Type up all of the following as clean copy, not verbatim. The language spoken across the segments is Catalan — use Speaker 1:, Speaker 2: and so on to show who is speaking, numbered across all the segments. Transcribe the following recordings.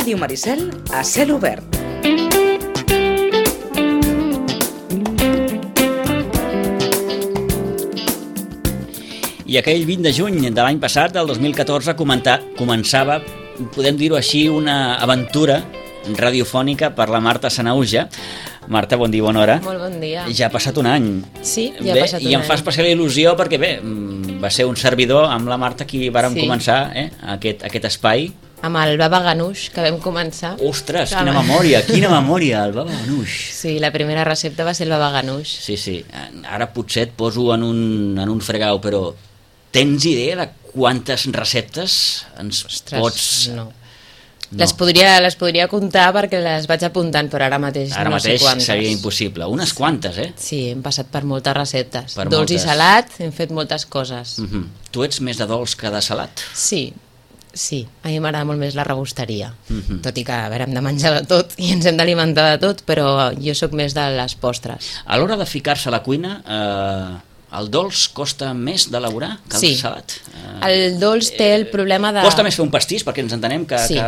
Speaker 1: Ràdio Maricel a cel obert.
Speaker 2: I aquell 20 de juny de l'any passat, del 2014, començava, podem dir-ho així, una aventura radiofònica per la Marta Sanahuja. Marta, bon dia, bona hora.
Speaker 3: Molt bon dia.
Speaker 2: Ja ha passat un any.
Speaker 3: Sí, ja ha passat un any.
Speaker 2: I em fa especial il·lusió perquè, va ser un servidor amb la Marta qui vàrem començar aquest espai.
Speaker 3: Amb el baba ganoush que vam començar.
Speaker 2: Ostres, quina memòria, el baba ganoush.
Speaker 3: Sí, la primera recepta va ser el baba ganoush.
Speaker 2: Sí, ara potser et poso en un fregau, però tens idea de quantes receptes ens pots...
Speaker 3: No. Les podria comptar perquè les vaig apuntant, però ara mateix no sé quantes.
Speaker 2: Ara mateix seria impossible. Unes quantes,
Speaker 3: Sí, hem passat per moltes receptes. Dolç i salat, hem fet moltes coses.
Speaker 2: Tu ets més de dolç que de salat?
Speaker 3: Sí, a mi m'agrada molt més la rebosteria, tot i que hem de menjar de tot i ens hem d'alimentar de tot, però jo sóc més de les postres.
Speaker 2: A l'hora de ficar-se a la cuina, el dolç costa més d'elaborar que el salat?
Speaker 3: El dolç té el problema de...
Speaker 2: Costa més fer un pastís, perquè ens entenem que...
Speaker 3: Sí,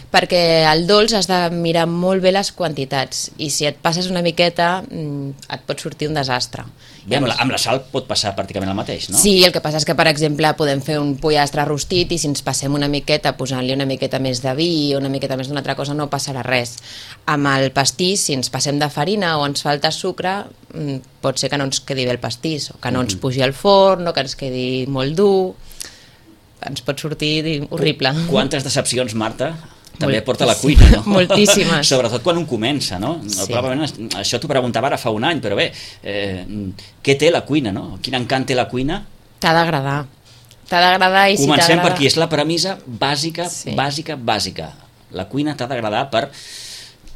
Speaker 3: perquè el dolç has de mirar molt bé les quantitats i si et passes una miqueta et pot sortir un desastre.
Speaker 2: Bé, amb la sal pot passar pràcticament el mateix, no?
Speaker 3: Sí, el que passa és que, per exemple, podem fer un pollastre rostit i si ens passem una miqueta posant-li una miqueta més de vi o una miqueta més d'una altra cosa no passarà res. Amb el pastís, si ens passem de farina o ens falta sucre, pot ser que no ens quedi bé el pastís o que no ens pugi al forn o que ens quedi molt dur. Ens pot sortir horrible.
Speaker 2: Quantes decepcions, Marta, també porta la cuina, no?
Speaker 3: Moltíssimes.
Speaker 2: Sobretot quan un comença, no?
Speaker 3: Sí.
Speaker 2: Probablement això t'ho preguntava ara fa un any, però bé, què té la cuina, no? Quin encant té la cuina?
Speaker 3: T'ha d'agradar. T'ha d'agradar i si t'agrada...
Speaker 2: Comencem per aquí, és la premissa bàsica. La cuina t'ha d'agradar per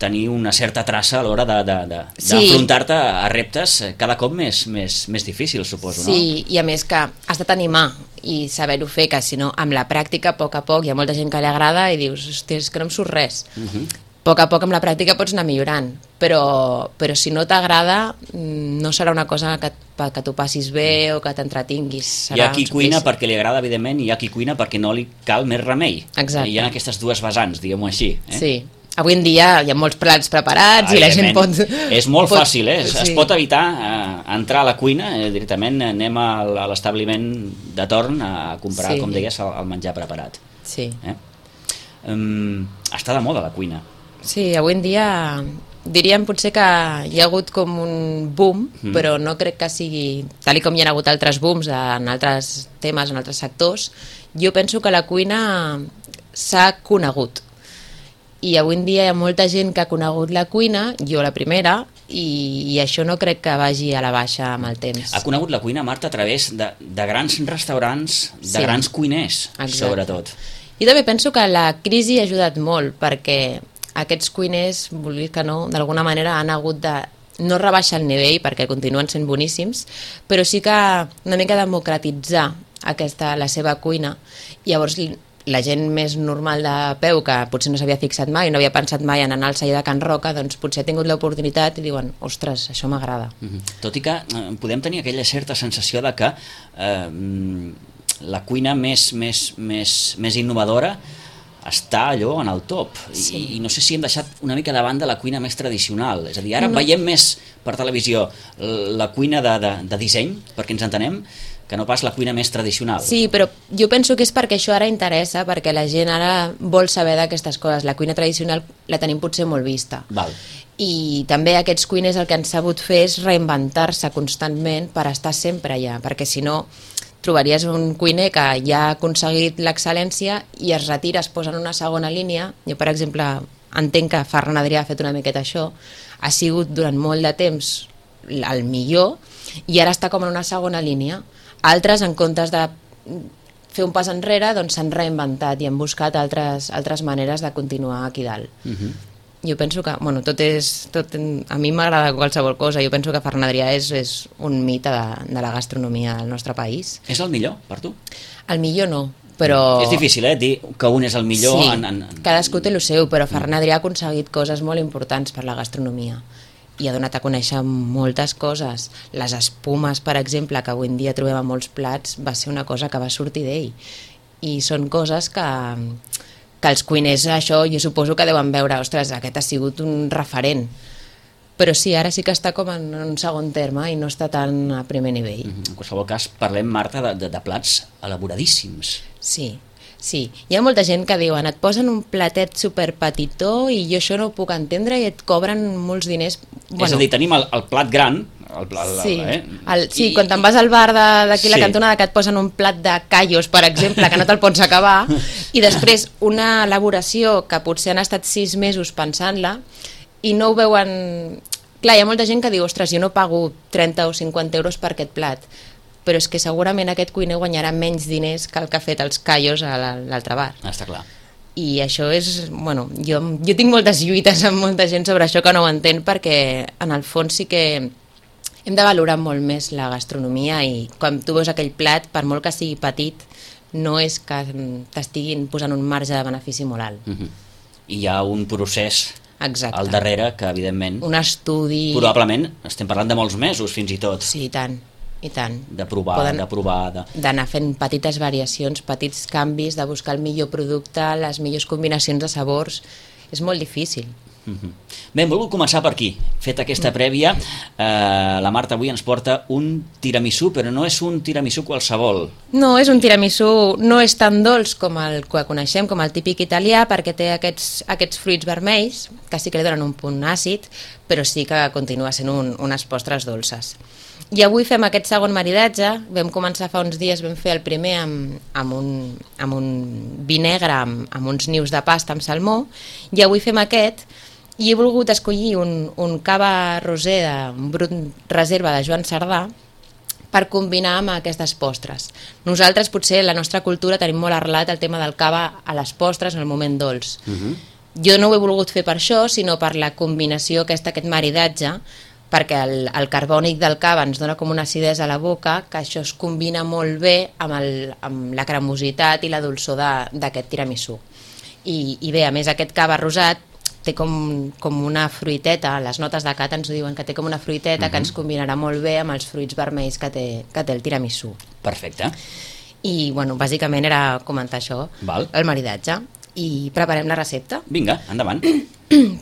Speaker 2: tenir una certa traça a l'hora d'afrontar-te a reptes cada cop més difícils, suposo, no?
Speaker 3: Sí, i a més que has de tenir mà i saber-ho fer, que si no, amb la pràctica, a poc, hi ha molta gent que li agrada i dius, hòstia, és que no em surt res. A poc, amb la pràctica pots anar millorant, però si no t'agrada, no serà una cosa que tu passis bé o que t'entretinguis.
Speaker 2: Hi ha qui cuina perquè li agrada, evidentment, i hi ha qui cuina perquè no li cal més remei.
Speaker 3: Exacte.
Speaker 2: Hi ha aquestes dues vessants, diguem-ho així.
Speaker 3: Sí. Avui en dia hi ha molts plats preparats i la gent pot...
Speaker 2: És molt fàcil, es pot evitar entrar a la cuina, directament anem a l'establiment de torn a comprar, com deies, el menjar preparat.
Speaker 3: Sí.
Speaker 2: Està de moda la cuina.
Speaker 3: Sí, avui en dia diríem potser que hi ha hagut com un boom, però no crec que sigui... Tal com hi ha hagut altres booms en altres temes, en altres sectors, jo penso que la cuina s'ha conegut. I avui en dia hi ha molta gent que ha conegut la cuina, jo la primera, i això no crec que vagi a la baixa amb el temps.
Speaker 2: Ha conegut la cuina, Marta, a través de grans restaurants, de grans cuiners, sobretot.
Speaker 3: Jo també penso que la crisi ha ajudat molt, perquè aquests cuiners, vulguis que no, d'alguna manera han hagut de no rebaixar el nivell, perquè continuen sent boníssims, però sí que una mica democratitzar la seva cuina. Llavors, la gent més normal de peu, que potser no s'havia fixat mai, no havia pensat mai en anar al celler de Can Roca, doncs potser ha tingut l'oportunitat i diuen, ostres, això m'agrada.
Speaker 2: Tot i que podem tenir aquella certa sensació de que la cuina més innovadora està allò en el top. I no sé si hem deixat una mica de banda la cuina més tradicional. És a dir, ara veiem més per televisió la cuina de disseny, perquè ens entenem, que no pas la cuina més tradicional.
Speaker 3: Sí, però jo penso que és perquè això ara interessa, perquè la gent ara vol saber d'aquestes coses. La cuina tradicional la tenim potser molt vista.
Speaker 2: Val.
Speaker 3: I també aquests cuiners el que han sabut fer és reinventar-se constantment per estar sempre allà, perquè si no trobaries un cuiner que ja ha aconseguit l'excel·lència i es retira, es posa en una segona línia. Jo, per exemple, entenc que Ferran Adrià ha fet una miqueta això, ha sigut durant molt de temps el millor i ara està com en una segona línia. Altres, en comptes de fer un pas enrere, doncs s'han reinventat i han buscat altres maneres de continuar aquí dalt. Jo penso que, bueno, a mi m'agrada qualsevol cosa, jo penso que Ferran Adrià és un mite de la gastronomia del nostre país.
Speaker 2: És el millor, per tu?
Speaker 3: El millor no, però...
Speaker 2: És difícil, dir que un és el millor...
Speaker 3: Sí, cadascú té el seu, però Ferran Adrià ha aconseguit coses molt importants per la gastronomia. I ha donat a conèixer moltes coses. Les espumes, per exemple, que avui en dia trobem a molts plats, va ser una cosa que va sortir d'ell. I són coses que que els cuiners, això, jo suposo que deuen veure, ostres, aquest ha sigut un referent. Però sí, ara sí que està com en un segon terme i no està tan a primer nivell.
Speaker 2: En qualsevol cas, parlem, Marta, de plats elaboradíssims.
Speaker 3: Sí, sí. Hi ha molta gent que diuen et posen un platet superpetitó i jo això no ho puc entendre i et cobren molts diners.
Speaker 2: Bueno, és a dir, tenim el plat gran,
Speaker 3: sí, quan te'n vas al bar d'aquí la cantonada que et posen un plat de callos, per exemple, que no te'l pots acabar, i després una elaboració que potser han estat 6 mesos pensant-la i no ho veuen... Clar, hi ha molta gent que diu, ostres, jo no pago 30 o 50 euros per aquest plat, però és que segurament aquest cuiner guanyarà menys diners que el que ha fet els callos a l'altre bar.
Speaker 2: Està clar.
Speaker 3: I això és... Bueno, jo tinc moltes lluites amb molta gent sobre això que no ho entén, perquè en el fons sí que hem de valorar molt més la gastronomia i quan tu veus aquell plat, per molt que sigui petit, no és que t'estiguin posant un marge de benefici molt alt.
Speaker 2: I hi ha un procés...
Speaker 3: Exacte.
Speaker 2: Al darrere, que evidentment...
Speaker 3: Un estudi...
Speaker 2: Probablement estem parlant de molts mesos, fins i tot.
Speaker 3: Sí, i tant, i tant.
Speaker 2: De provar,
Speaker 3: d'anar fent petites variacions, petits canvis, de buscar el millor producte, les millors combinacions de sabors. És molt difícil.
Speaker 2: Bé, hem volgut començar per aquí. Feta aquesta prèvia, la Marta avui ens porta un tiramisú, però no és un tiramisú qualsevol.
Speaker 3: No, és un tiramisú, no és tan dolç com el que coneixem, com el típic italià, perquè té aquests fruits vermells, que sí que li donen un punt àcid, però sí que continua sent unes postres dolces. I avui fem aquest segon maridatge, vam començar fa uns dies, vam fer el primer amb un vi negre, amb uns nius de pasta amb salmó, i avui fem aquest, i he volgut escollir un cava rosé un brut reserva de Joan Cerdà per combinar amb aquestes postres. Nosaltres potser la nostra cultura tenim molt arrelat el tema del cava a les postres en el moment dolç. Jo no ho he volgut fer per això, sinó per la combinació aquest maridatge, perquè el carbònic del cava ens dona com una acidesa a la boca, que això es combina molt bé amb la cremositat i la dolçor d'aquest tiramisú. I bé, a més aquest cava rosat té com una fruiteta, les notes de cata ens ho diuen que té com una fruiteta que ens combinarà molt bé amb els fruits vermells que té el tiramisú.
Speaker 2: Perfecte.
Speaker 3: I bueno, bàsicament era comentar això, el maridatge. I preparem la recepta?
Speaker 2: Vinga, endavant.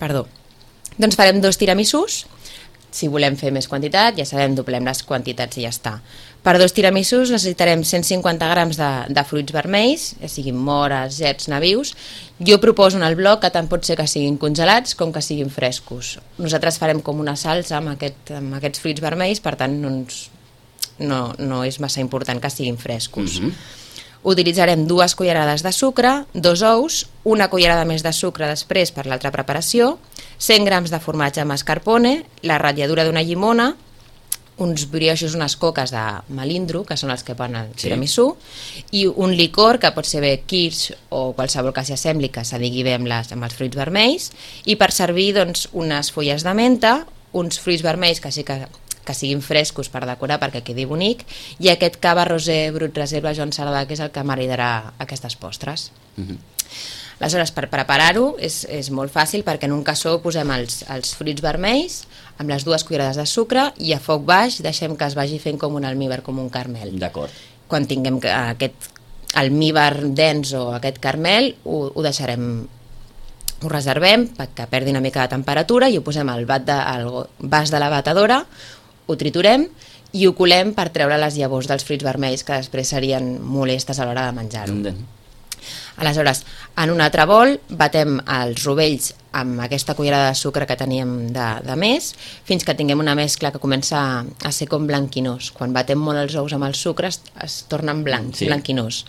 Speaker 3: Perdó. Doncs farem 2 tiramisús. Si volem fer més quantitat, ja sabem, doblem les quantitats i ja està. Per 2 tiramisús necessitarem 150 grams de fruits vermells, ja siguin mores, gerds, nabius. Jo proposo en el bloc que tant pot ser que siguin congelats com que siguin frescos. Nosaltres farem com una salsa amb aquests fruits vermells, per tant no és massa important que siguin frescos. Utilitzarem 2 cullerades de sucre, 2 ous, una cullerada més de sucre després per l'altra preparació, 100 grams de formatge mascarpone, la ratlladura d'una llimona, uns brioixos, unes coques de melindro, que són els que van al tiramisú, i un licor, que pot ser bé kirsch o qualsevol que s'hi assembli, que s'adigui bé amb els fruits vermells, i per servir doncs, unes fulles de menta, uns fruits vermells que sí que siguin frescos per decorar perquè quedi bonic, i aquest cava rosé brut reserva Joan Cerdà, que és el que maridarà aquestes postres. Aleshores, per preparar-ho és molt fàcil, perquè en un cassó posem els fruits vermells amb les 2 cullerades de sucre i a foc baix deixem que es vagi fent com un almívar, com un caramel.
Speaker 2: D'acord.
Speaker 3: Quan tinguem aquest almívar dens o aquest caramel, ho deixarem, ho reservem perquè perdi una mica de temperatura i ho posem al vas de la batedora, ho triturem i ho colem per treure les llavors dels fruits vermells que després serien molestes a l'hora de menjar-ho. Aleshores, en un altre bol batem els rovells amb aquesta cullerada de sucre que teníem de més fins que tinguem una mescla que comença a ser com blanquinós. Quan batem molt els ous amb el sucre es tornen blancs, blanquinós.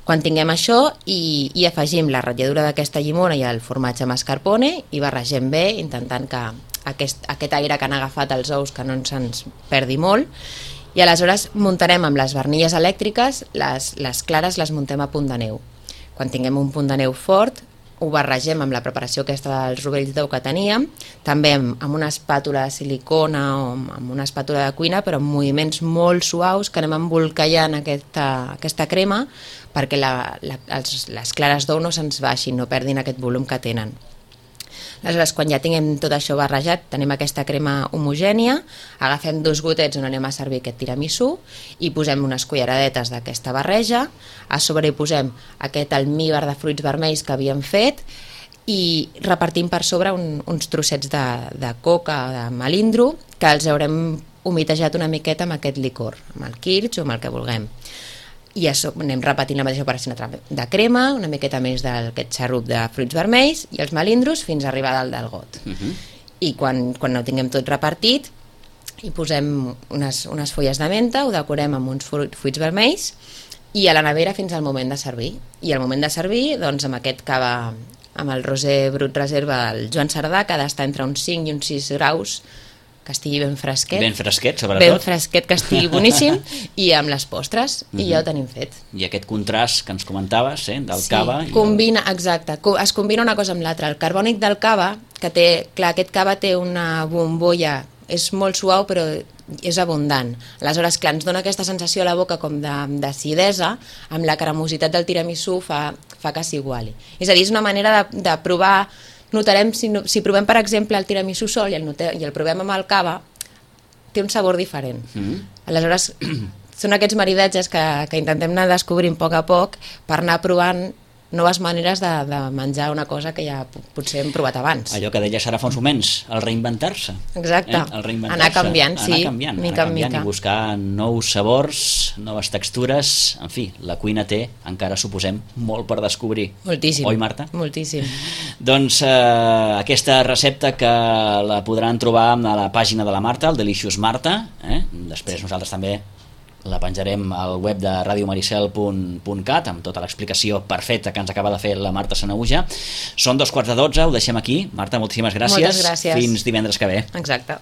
Speaker 3: Quan tinguem això i afegim la ratlladura d'aquesta llimona i el formatge mascarpone i barregem bé, intentant que aquest aire que han agafat els ous que no se'ns perdi molt, i aleshores muntarem amb les barnilles elèctriques, les clares les muntem a punt de neu. Quan tinguem un punt de neu fort, ho barregem amb la preparació aquesta dels rovells d'ou que teníem, també amb una espàtula de silicona o amb una espàtula de cuina, però amb moviments molt suaus que anem embolcallant aquesta crema perquè les clares d'ou no se'ns baixin, no perdin aquest volum que tenen. Aleshores, quan ja tinguem tot això barrejat, tenim aquesta crema homogènia, agafem 2 gotets on anem a servir aquest tiramisú i posem unes culleradetes d'aquesta barreja, a sobre hi posem aquest almíbar de fruits vermells que havíem fet i repartim per sobre uns trossets de coca o de melindro que els haurem humitejat una miqueta amb aquest licor, amb el kirsch o amb el que vulguem. I anem repetint la mateixa operació de crema, una miqueta més d'aquest xarrup de fruits vermells i els melindros fins a arribar dalt del got. I quan ho tinguem tot repartit hi posem unes fulles de menta, ho decorem amb uns fruits vermells i a la nevera fins al moment de servir. I al moment de servir, doncs amb aquest cava, amb el rosé brut reserva del Joan Cerdà, que ha d'estar entre uns 5 i uns 6 graus, que estigui ben fresquet.
Speaker 2: Ben fresquet, sobretot.
Speaker 3: Ben fresquet, que estigui boníssim, i amb les postres, i ja ho tenim fet.
Speaker 2: I aquest contrast que ens comentaves, del cava...
Speaker 3: Combina, exacte, es combina una cosa amb l'altra. El carbònic del cava, que té, clar, aquest cava té una bombolla, és molt suau però és abundant. Aleshores, clar, ens dona aquesta sensació a la boca com d'acidesa, amb la cremositat del tiramisú fa que s'iguali. És a dir, és una manera de provar. Notarem, si provem per exemple el tiramisú sol i el provem amb el cava, té un sabor diferent. Aleshores, són aquests maridatges que intentem anar descobrint a poc per anar provant noves maneres de menjar una cosa que ja potser hem provat abans.
Speaker 2: Allò que deies ara fa uns moments, el reinventar-se.
Speaker 3: Exacte, anar canviant, sí, mica en mica.
Speaker 2: I buscar nous sabors, noves textures, en fi, la cuina té, encara suposem, molt per descobrir.
Speaker 3: Moltíssim.
Speaker 2: Oi, Marta?
Speaker 3: Moltíssim.
Speaker 2: Doncs aquesta recepta que la podran trobar a la pàgina de la Marta, el Delicious Marta, després nosaltres també la penjarem al web de radiomaricel.cat amb tota l'explicació perfecta que ens acaba de fer la Marta Sanahuja. Són 12:45, ho deixem aquí. Marta, moltíssimes gràcies.
Speaker 3: Moltes gràcies.
Speaker 2: Fins divendres que ve.
Speaker 3: Exacte.